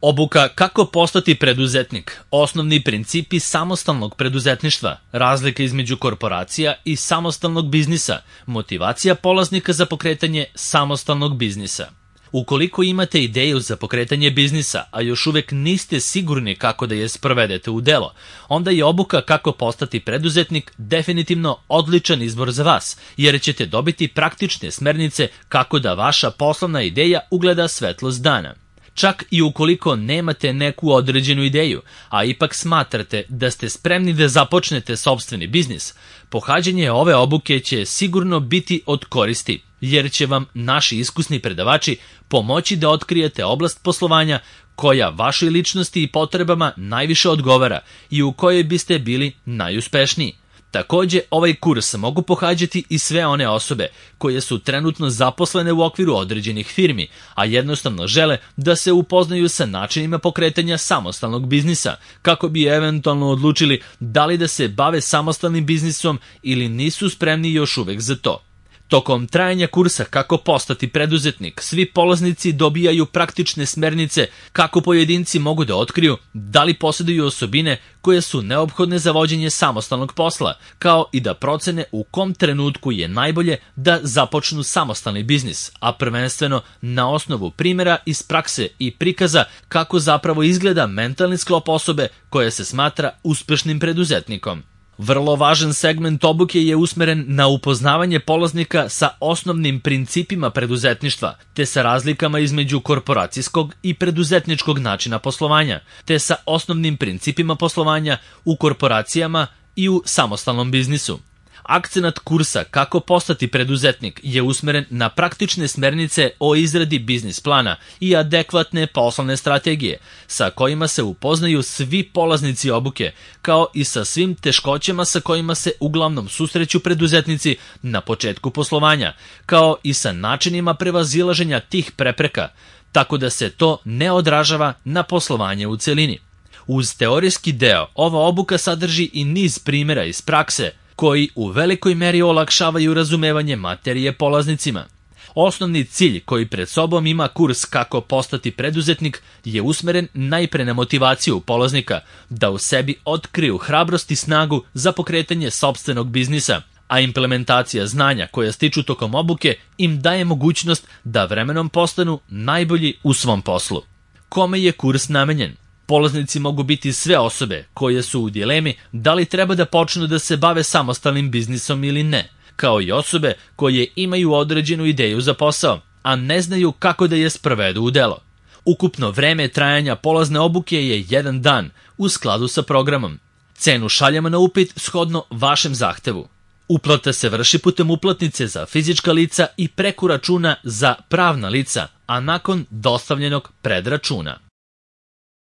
Obuka kako postati preduzetnik, osnovni principi samostalnog preduzetništva, razlika između korporacija i samostalnog biznisa, motivacija polaznika za pokretanje samostalnog biznisa. Ukoliko imate ideju za pokretanje biznisa, a još uvek niste sigurni kako da je sprovedete u delo, onda je obuka kako postati preduzetnik definitivno odličan izbor za vas, jer ćete dobiti praktične smernice kako da vaša poslovna ideja ugleda svetlost dana. Čak i ukoliko nemate neku određenu ideju, a ipak smatrate da ste spremni da započnete sopstveni biznis, pohađanje ove obuke će sigurno biti od koristi, jer će vam naši iskusni predavači pomoći da otkrijete oblast poslovanja koja vašoj ličnosti i potrebama najviše odgovara i u kojoj biste bili najuspešniji. Takođe, ovaj kurs mogu pohađati i sve one osobe koje su trenutno zaposlene u okviru određenih firmi, a jednostavno žele da se upoznaju sa načinima pokretanja samostalnog biznisa, kako bi eventualno odlučili da li da se bave samostalnim biznisom ili nisu spremni još uvek za to. Tokom trajanja kursa kako postati preduzetnik, svi polaznici dobijaju praktične smernice kako pojedinci mogu da otkriju da li posjeduju osobine koje su neophodne za vođenje samostalnog posla, kao i da procene u kom trenutku je najbolje da započnu samostalni biznis, a prvenstveno na osnovu primjera iz prakse i prikaza kako zapravo izgleda mentalni sklop osobe koja se smatra uspešnim preduzetnikom. Vrlo važan segment obuke je usmeren na upoznavanje polaznika sa osnovnim principima preduzetništva, te sa razlikama između korporacijskog i preduzetničkog načina poslovanja, te sa osnovnim principima poslovanja u korporacijama i u samostalnom biznisu. Akcenat kursa kako postati preduzetnik je usmeren na praktične smernice o izradi biznis plana i adekvatne poslovne strategije, sa kojima se upoznaju svi polaznici obuke, kao i sa svim teškoćama sa kojima se uglavnom susreću preduzetnici na početku poslovanja, kao i sa načinima prevazilaženja tih prepreka, tako da se to ne odražava na poslovanje u celini. Uz teorijski deo, ova obuka sadrži i niz primjera iz prakse, koji u velikoj meri olakšavaju razumevanje materije polaznicima. Osnovni cilj koji pred sobom ima kurs kako postati preduzetnik je usmeren najpre na motivaciju polaznika da u sebi otkriju hrabrost i snagu za pokretanje sopstvenog biznisa, a implementacija znanja koja stiču tokom obuke im daje mogućnost da vremenom postanu najbolji u svom poslu. Kome je kurs namenjen? Polaznici mogu biti sve osobe koje su u dilemi da li treba da počnu da se bave samostalnim biznisom ili ne, kao i osobe koje imaju određenu ideju za posao, a ne znaju kako da je sprovedu u delo. Ukupno vreme trajanja polazne obuke je 1 dan u skladu sa programom. Cenu šaljemo na upit shodno vašem zahtevu. Uplata se vrši putem uplatnice za fizička lica i preko računa za pravna lica, a nakon dostavljenog predračuna.